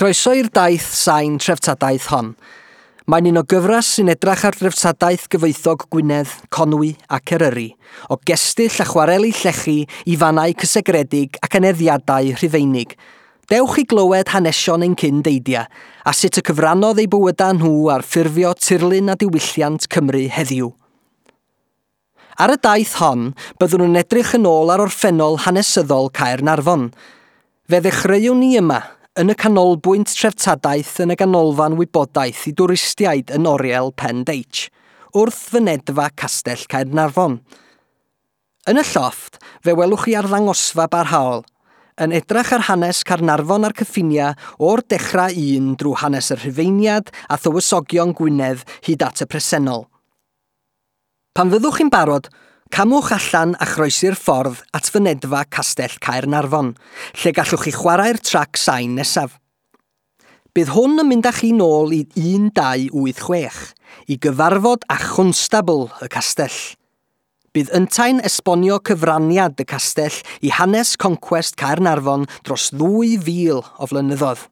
Croeso i'r daith sain treftadaeth hon. Mae'n un o gyfres sy'n edrach ar dreftadaeth gyfoethog Gwynedd, Conwy ac Eryri, o gestyll a chwareli llechi i fannau cysegredig ac aneddiadau Rhufeinig. Dewch i glywed hanesion ein cyn deidia, a sut y cyfrannodd eu bywydau nhw ar ffurfio tirlun a diwylliant Cymru heddiw. Ar y daith hon, byddwn yn edrych yn ôl ar orffennol hanesyddol Caernarfon. Fe ddechreuwn ni yma, yn y canolbwynt treftadaeth yn y ganolfan wybodaeth i dwristiaid yn Oriel Pen Deitch, wrth fynedfa Castell Caernarfon. Yn y llofft, fe welwch chi arddangosfa barhaol, yn edrach ar hanes Caernarfon a'r cyffiniau o'r dechrau un drwy hanes y Rhufeiniad a thywysogion Gwynedd hyd at y presennol. Pan fyddwch chi'n barod, camwch allan a chroesi'r ffordd at fynedfa Castell Caernarfon, lle gallwch chi chwarae'r trac sain nesaf. Bydd hwn yn mynd â chi nôl i 1286, i gyfarfod â chwnstabl y castell. Bydd yntau'n esbonio cyfraniad y castell i hanes concwest Caernarfon dros 2,000 o flynyddoedd.